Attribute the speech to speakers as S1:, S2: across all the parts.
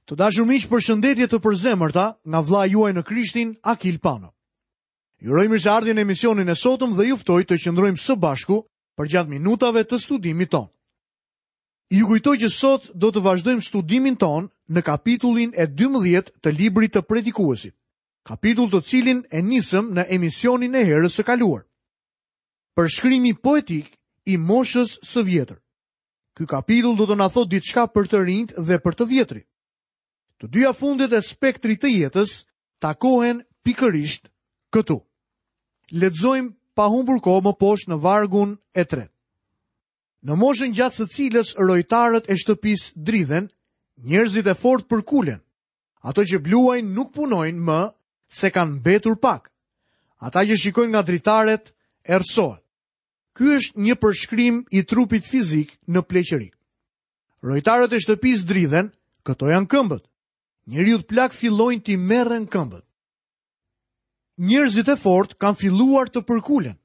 S1: Të dashur miq, përshëndetje të përzemërta nga vëllai juaj në Krishtin, Akil Pano. Ju uroj mirëseardhjen në emisionin e sotëm dhe ju ftoj të qëndrojmë së bashku përgjatë minutave të studimit tonë. Ju kujtoj që sot do të vazhdojmë studimin tonë në kapitullin e 12 të librit të Predikuesit, kapitull të cilin e nisëm në emisionin e herës së kaluar. Përshkrimi poetik i moshës së vjetër. Ky kapitull do të na thotë diçka për të rinjtë dhe për të vjetrit. Të dyja fundet e spektrit të jetës takohen pikërisht këtu. Lexojmë pa humbur kohë më poshtë në vargun e tretë. Në moshën gjatë së cilës rojtarët e shtëpisë dridhen, njerëzit e fortë përkulen. Ato që bluajnë nuk punojnë më se kanë mbetur pak. Ata që shikojnë nga dritaret errësohen. Ky është një përshkrim i trupit fizik në pleqëri. Rojtarët e shtëpisë dridhen, këto janë këmbët. Njeriut plak fillojnë t'i merren këmbët. Njerëzit e fortë kanë filluar të përkulen.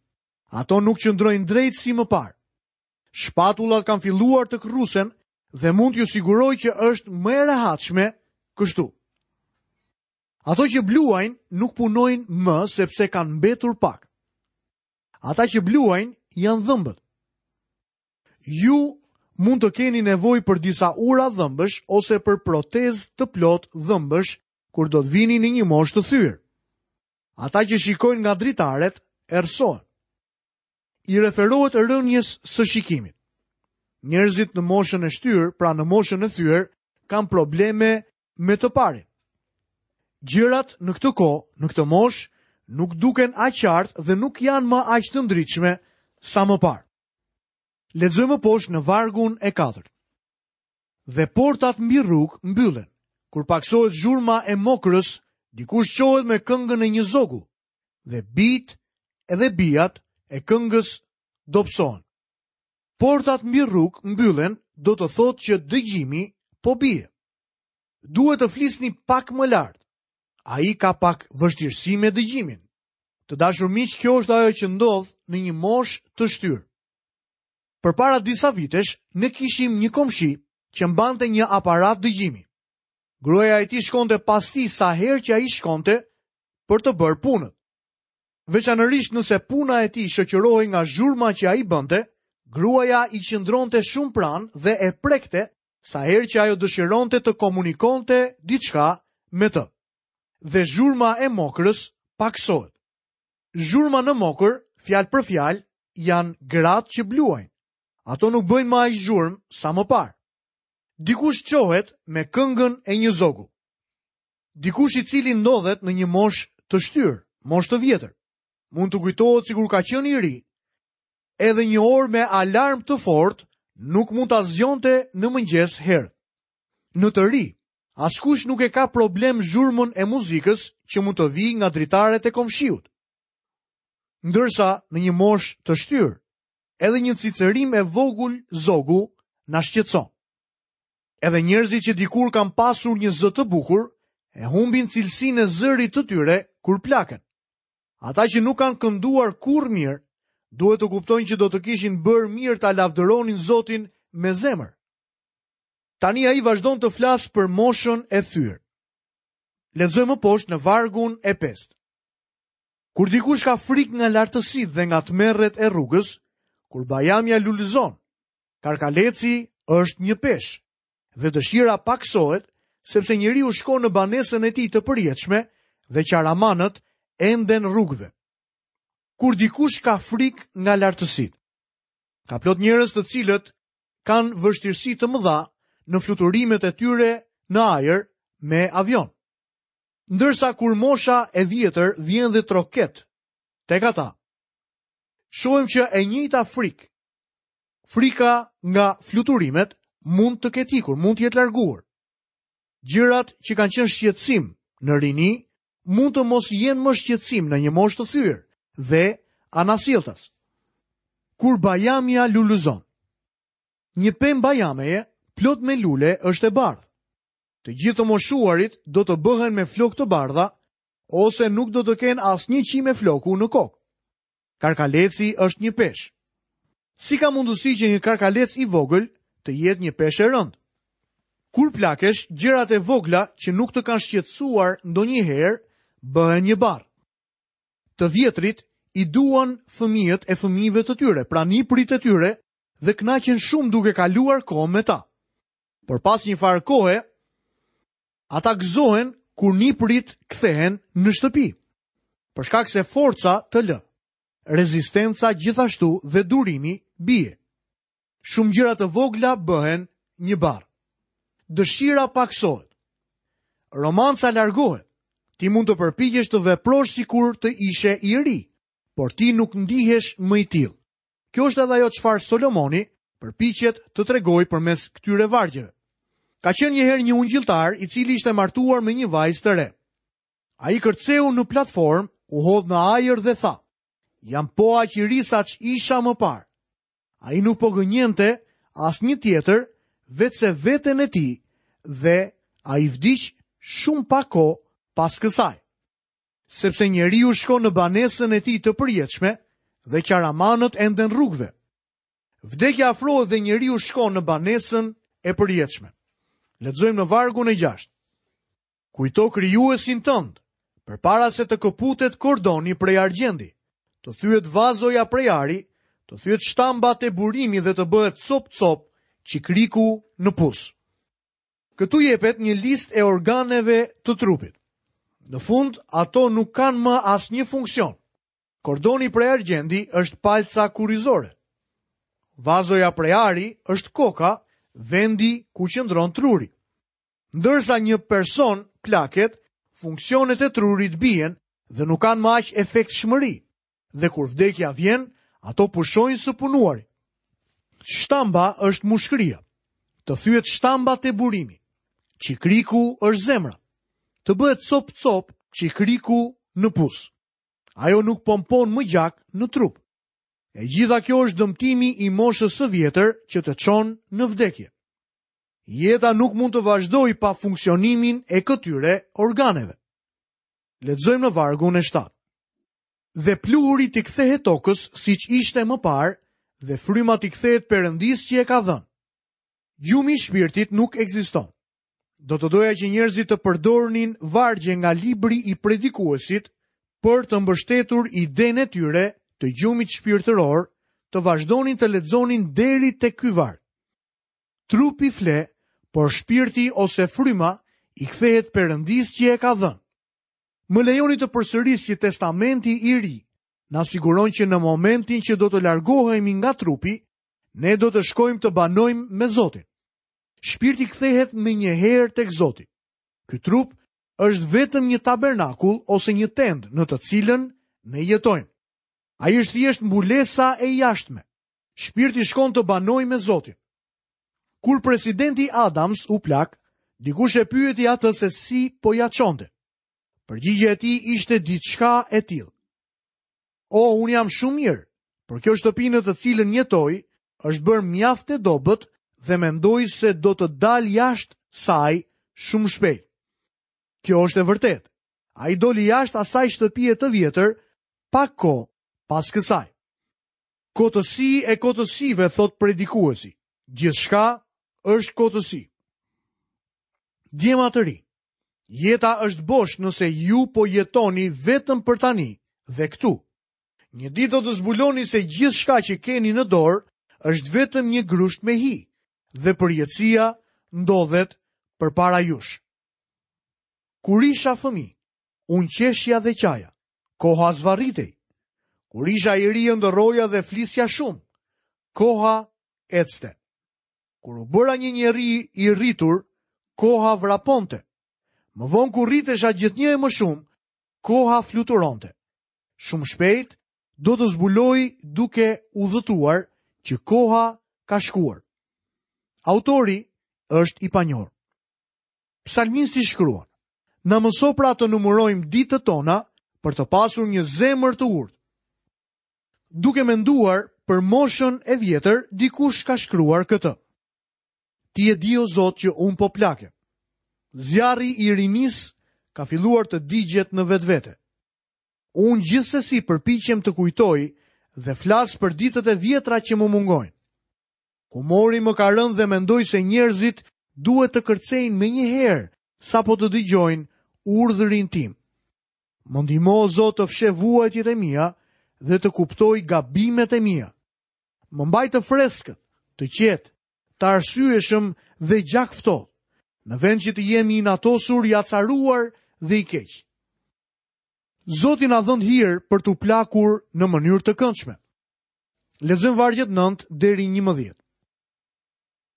S1: Ato nuk qëndrojnë drejt si më parë. Shpatullat kanë filluar të kërrusen dhe mund t'ju siguroj që është më e rehatshme kështu. Ato që bluajnë nuk punojnë më sepse kanë mbetur pak. Ata që bluajnë janë dhëmbët. Ju mund të keni nevojë për disa ura dhëmbësh ose për protezë të plotë dhëmbësh kur do të vini në një moshë të thyer. Ata që shikojnë nga dritaret errësohen. I referohet rënies së shikimit. Njerëzit në moshën e shtyrë, pra në moshën e thyer, kanë probleme me të parin. Gjërat në këtë kohë, në këtë moshë, nuk duken aq qartë dhe nuk janë më aq të ndritshme sa më parë. Lexojmë më poshtë në vargun e katërt. Dhe portat mbi rrugë mbyllen. Kur pakësohet zhurma e mokrës, dikush çohet me këngën e një zogu dhe bijtë edhe bijat e këngës dobësohen. Portat mbi rrugë mbyllen do të thotë që dëgjimi po bie. Duhet të flisni pak më lart. Ai ka pak vështirësi me dëgjimin. Të dashur miq, kjo është ajo që ndodh në një moshë të shtyrë. Përpara disa vitesh, ne kishim një komshi që mbante një aparat dëgjimi. Gruaja e tij shkonte pas tij sa herë që ai shkonte për të bërë punët. Veçanërisht nëse puna e tij shoqërohej nga zhurma që ai bënte, gruaja i qëndronte shumë pranë dhe e prekte sa herë që ajo dëshironte të komunikonte diçka me të. Dhe zhurma e mokrës pakësohet. Zhurma në mokër, fjalë për fjalë, janë gratë që bluajnë. Ato nuk bëjnë më aq zhurmë sa më parë. Dikush çohet me këngën e një zogu. Dikush i cili ndodhet në një moshë të shtyrë, moshë të vjetër. Mund të kujtohet sikur ka qenë i ri. Edhe një orë me alarm të fortë nuk mund ta zgjonte në mëngjes herët. Në të ri, askush nuk e ka problem zhurmën e muzikës që mund të vijë nga dritaret e komshiut. Ndërsa në një moshë të shtyrë, edhe një cicërimë e vogël zogu na shqetëson. Edhe njerëzit që dikur kanë pasur një zë të bukur, e humbin cilësinë e zërit të tyre kur plaken. Ata që nuk kanë kënduar kurrë mirë, duhet të kuptojnë që do të kishin bërë mirë ta lavdëronin Zotin me zemër. Tani ai vazhdon të flasë për moshën e thyer. Lexojmë më poshtë në vargun e pestë. Kur dikush ka frikë nga lartësitë dhe nga tmerret e rrugës, kur bajamja lulëzon, Karkaleci është një peshë dhe dëshira pakësohet sepse njeriu shkon në banesën e tij të përjetshme dhe qaramanët enden rrugëve. Kur dikush ka frikë nga lartësitë. Ka plot njerëz të cilët kanë vështirësi të mëdha në fluturimet e tyre në ajër me avion. Ndërsa kur mosha e vjetër vjen dhe troket tek ata, shohim që e njëjta frikë Frika nga fluturimet mund të ketë ikur, mund të jetë larguar. Gjërat që kanë qenë shqetësim në rini mund të mos jenë më shqetësim në një moshë të thyer dhe anasjelltas. Kur bajamja lulëzon. Një pemë bajameje plot me lule është e bardhë. Të gjithë të moshuarit do të bëhen me flokë të bardha ose nuk do të kenë asnjë qime floku në kokë. Karkaleci është një peshë. Si ka mundësi që një karkalec i vogël të jetë një peshë e rëndë? Kur plakesh, gjërat e vogla që nuk të kanë shqetësuar ndonjëherë bëhen një barrë. Të vjetrit i duan fëmijët e fëmijëve të tyre, pra nipërit e tyre dhe kënaqen shumë duke kaluar kohë me ta. Por pas një farë kohe, ata gëzohen kur nipërit kthehen në shtëpi. Për shkak se forca të lë, rezistenca gjithashtu dhe durimi bie. Shumë gjëra të vogla bëhen një barrë. Dëshira pakësohet. Romanca largohet. Ti mund të përpiqesh të veprosh sikur të ishe i ri, por ti nuk ndihesh më i tillë. Kjo është edhe ajo çfarë Solomoni përpiqet të tregojë përmes këtyre vargjeve. Ka qenë një herë një ungjilltar i cili ishte martuar me një vajzë të re. Ai kërceu në platformë, u hodh në ajër dhe tha: "Jam po aq i ri sa ç'isha më parë." Ai nuk po gënjente asnjë tjetër veçse veten e tij dhe ai vdiq shumë pak kohë pas kësaj. Sepse njeriu shkon në banesën e tij të përjetshme dhe qaramanët enden rrugëve. Vdekja afrohet dhe njeriu shkon në banesën e përjetshme. Lexojmë në vargun e 6. Kujto krijuesin tënd, përpara se të këputet kordoni prej argjendi, të thyhet vazoja prej ari, të thyhet shtamba te burimi dhe të bëhet copë-copë çikriku në pus. Këtu jepet një listë e organeve të trupit. Në fund, ato nuk kanë më asnjë funksion. Kordoni prej argjendi është palca kurrizore. Vazoja prej ari është koka, vendi ku qëndron truri. Ndërsa një person plaket, funksionet e trurit bien dhe nuk kanë më aq efektshmëri. Dhe kur vdekja vjen, ato pushojnë së punuari. Shtamba është mushkëria. Të thyhet shtamba te burimi. Çikriku është zemra. Të bëhet copë-copë çikriku në pus. Ajo nuk pompon më gjak në trup. E gjitha kjo është dëmtimi i moshës së vjetër që të çon në vdekje. Jeta nuk mund të vazhdojë pa funksionimin e këtyre organeve. Lexojmë në vargun e 7. Dhe pluhuri t'i kthehet tokës siç ishte më parë dhe fryma t'i kthehet Perëndisë që e ka dhënë. Gjumi i shpirtit nuk ekziston. Do të doja që njerëzit të përdornin vargje nga libri i predikuesit për të mbështetur idenë e tyre të gjumit shpirtëror, të vazhdonin të lexonin deri te ky varg. Trupi fle, por shpirti ose fryma i kthehet Perëndisë që e ka dhënë. Më lejoni të përsëris që Testamenti i Ri na siguron që në momentin që do të largohemi nga trupi, ne do të shkojmë të banojmë me Zotin. Shpirti kthehet menjëherë tek Zoti. Ky trup është vetëm një tabernakull ose një tendë në të cilën ne jetojmë. Ai është thjesht mbulesa e jashtme. Shpirti shkon të banojë me Zotin. Kur presidenti Adams u plak, dikush e pyeti atë se si po ia çonte. Përgjigja e tij ishte diçka e tillë. O, unë jam shumë mirë, por kjo shtëpi në të cilën jetoj është bërë mjaft e dobët dhe mendoj se do të dal jashtë saj shumë shpejt. Kjo është e vërtetë. Ai doli jashtë asaj shtëpie të vjetër pak kohë pas kësaj. Kotësi e kotësive, thotë predikuesi. Gjithçka është kotësi. Djema të rinj, jeta është bosh nëse ju po jetoni vetëm për tani dhe këtu. Një ditë do të zbuloni se gjithçka që keni në dorë është vetëm një grusht me hi dhe përjetësia ndodhet përpara jush. Kur isha fëmijë, unë qeshja dhe qaja. Koha zvarritej. Kur isha i ri ëndërroja dhe flisja shumë. Koha ecte. Kur u bëra një njeri i rritur, koha vraponte. Më vonë kur rritesha gjithnjë e më shumë, koha fluturonte. Shumë shpejt do të zbuloj duke udhëtuar që koha ka shkuar. Autori është i panjohur. Psalmisti shkruan: Na mëso pra të numërojmë ditët tona për të pasur një zemër të urtë. Duke menduar për moshën e vjetër, dikush ka shkruar këtë. Ti e di o Zot që unë po plakem. Zjarri i rinisë ka filluar të digjet në vetvete. Unë gjithsesi përpiqem të kujtoj dhe flas për ditët e vjetra që më mungojnë. Humori më ka rënë dhe mendoj se njerëzit duhet të kërcejnë menjëherë sapo të dëgjojnë urdhrin tim. Më ndihmo o Zot të fsheh vuajtjet e mia dhe të kuptoj gabimet e mia. Më mbaj të freskët, të qetë, të arsyeshëm dhe gjakftohtë, në vend që të jem i inatosur, i acaruar dhe i keq. Zoti na dhëntë hir për t'u plakur në mënyrë të këndshme. Lexojmë vargjet 9 deri 11.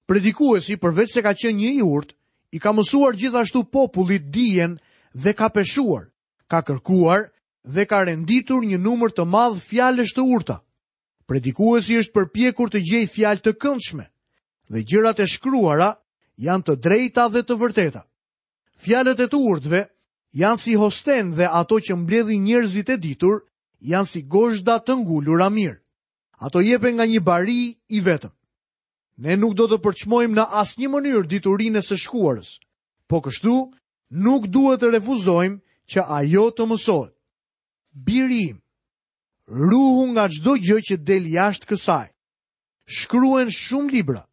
S1: Predikuesi përveç se ka qenë një i urtë, i ka mësuar gjithashtu popullit dijen dhe ka peshuar, ka kërkuar dhe ka renditur një numër të madh fjalësh të urta. Predikuesi është përpjekur të gjejë fjalë të këndshme dhe gjërat e shkruara janë të drejta dhe të vërteta. Fjalët e të urtëve janë si hosten dhe ato që mbledhin njerëzit e ditur janë si gozhda të ngulura mirë. Ato jepen nga një bari i vetëm. Ne nuk do të përçmojmë në asnjë mënyrë diturinë e së shkuarës. Po kështu, nuk duhet të refuzojmë që ajo të mësohet. Biri im, ruhu nga çdo gjë që del jashtë kësaj. Shkruhen shumë libra,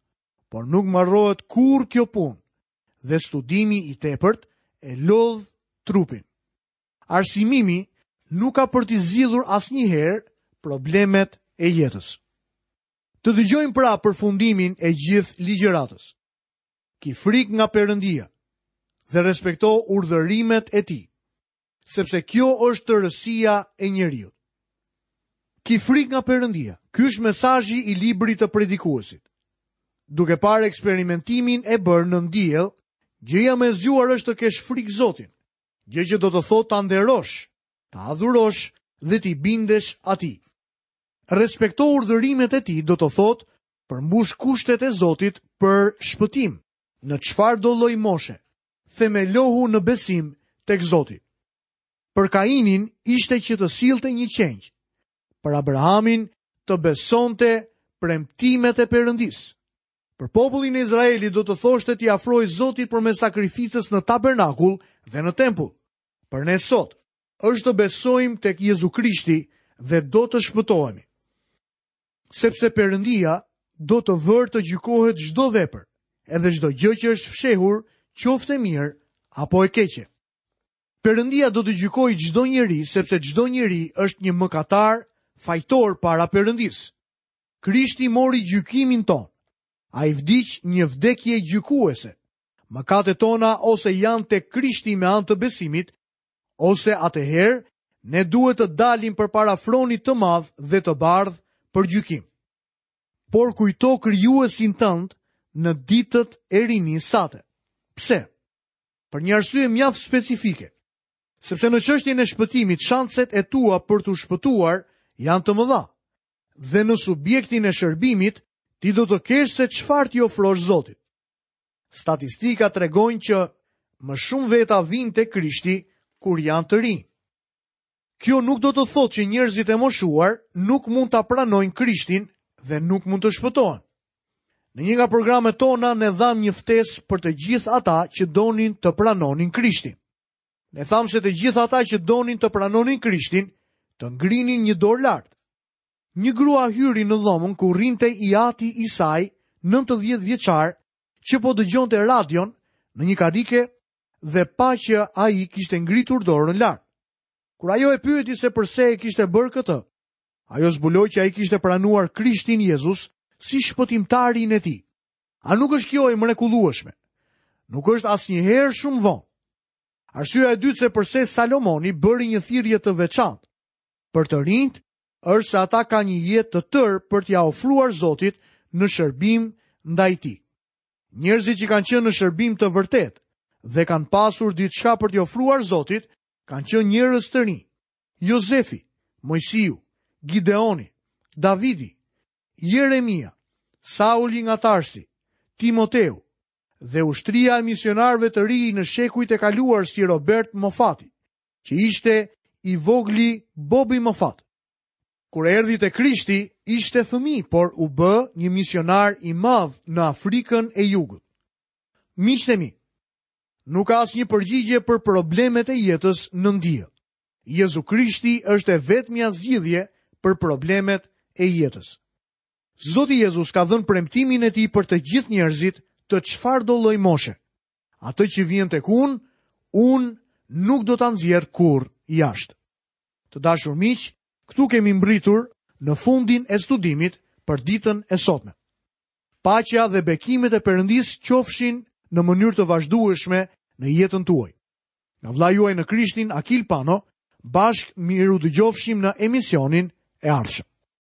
S1: por nuk mbarohet kurrë kjo punë dhe studimi i tepërt e lodh trupin. Arsimimi nuk ka për t'i zgjidhur asnjëherë problemet e jetës. Të dëgjojmë pra përfundimin e gjithë ligjëratës. Ki frikë nga Perëndia dhe respekto urdhërimet e tij, sepse kjo është tërësia e njeriut. Ki frikë nga Perëndia. Ky është mesazhi i librit të predikuesit. Duke parë eksperimentimin e bërë nën diell, gjëja më e zgjuar është të kesh frikë Zotin, gjë që do të thotë ta nderosh, ta adhurosh dhe t'i bindesh atij. Respekto urdhërimet e tij do të thotë përmbush kushtet e Zotit për shpëtim, në çfarëdo lloj moshe. Themelohu në besim tek Zoti. Për Kainin ishte që të sillte një qengj. Për Abrahamin të besonte premtimet e Perëndisë. Për popullin e Izraelit do të thoshte t'i afrohej Zotit përmes sakrificës në tabernakull dhe në tempull. Për ne sot është të besojmë tek Jezu Krishti dhe do të shpëtohemi. Sepse Perëndia do të vërë të gjykohet çdo vepër, edhe çdo gjë që është fshehur, qoftë e mirë apo e keqe. Perëndia do të gjykojë çdo njeri, sepse çdo njeri është një mëkatar, fajtor para Perëndisë. Krishti mori gjykimin tonë. Ai vdiq një vdekje gjykuese. Mëkatet tona ose janë tek Krishti me anë të besimit, ose atëherë ne duhet të dalim përpara fronit të madh dhe të bardhë për gjykim. Por kujto krijuesin tënd në ditët e rinisë sate. Pse? Për një arsye mjaft specifike. Sepse në çështjen e shpëtimit, shanset e tua për t'u shpëtuar janë të mëdha. Dhe në subjektin e shërbimit, ti do të kesh se çfarë t'i ofrosh Zotit. Statistikat tregojnë që më shumë veta vijnë te Krishti kur janë të rinj. Kjo nuk do të thotë që njerëzit e moshuar nuk mund ta pranojnë Krishtin dhe nuk mund të shpëtohen. Në një nga programet tona ne dhamë një ftesë për të gjithë ata që donin të pranonin Krishtin. Ne thamë se të gjithë ata që donin të pranonin Krishtin, të ngrinin një dorë lart. Një grua hyri në dhomën ku rrinte i ati i saj, 90 vjeçar, që po dëgjonte radion në një karrike dhe pa që ai kishte ngritur dorën lart. Kur ajo e pyeti se përse e kishte bërë këtë, ajo zbuloi që ai kishte pranuar Krishtin Jezus si shpëtimtarin e tij. A nuk është kjo e mrekullueshme? Nuk është asnjëherë shumë vonë. Arsyeja e dytë se përse Salomoni bëri një thirrje të veçantë për të rinjtë është se ata kanë një jetë të tërë për t'ia ofruar Zotit në shërbim ndaj tij. Njerëzit që kanë qenë në shërbim të vërtetë dhe kanë pasur diçka për t'i ofruar Zotit, kanë qenë njerëz të rinj. Jozefi, Moisiu, Gideoni, Davidi, Jeremia, Sauli nga Tarsi, Timoteu dhe ushtria e misionarëve të rinj në shekujt e kaluar si Robert Mofati, që ishte i vogli Bobi Mofat. Kur erdhi te Krishti, ishte fëmijë, por u bë një misionar i madh në Afrikën e Jugut. Miqtë e mi, nuk ka asnjë përgjigje për problemet e jetës nën diell. Jezu Krishti është e vetmja zgjidhje për problemet e jetës. Zoti Jezus ka dhënë premtimin e tij për të gjithë njerëzit të çfarëdo lloj moshe. Atë që vjen tek unë, unë nuk do ta nxjerr kurrë jashtë. Të dashur miq, këtu kemi mbërritur në fundin e studimit për ditën e sotme. Paqja dhe bekimet e Perëndisë qofshin në mënyrë të vazhdueshme në jetën tuaj. Nga vëllai juaj në Krishtin, Akil Pano, bashkë mirudëgjofshim në emisionin e ardhshëm.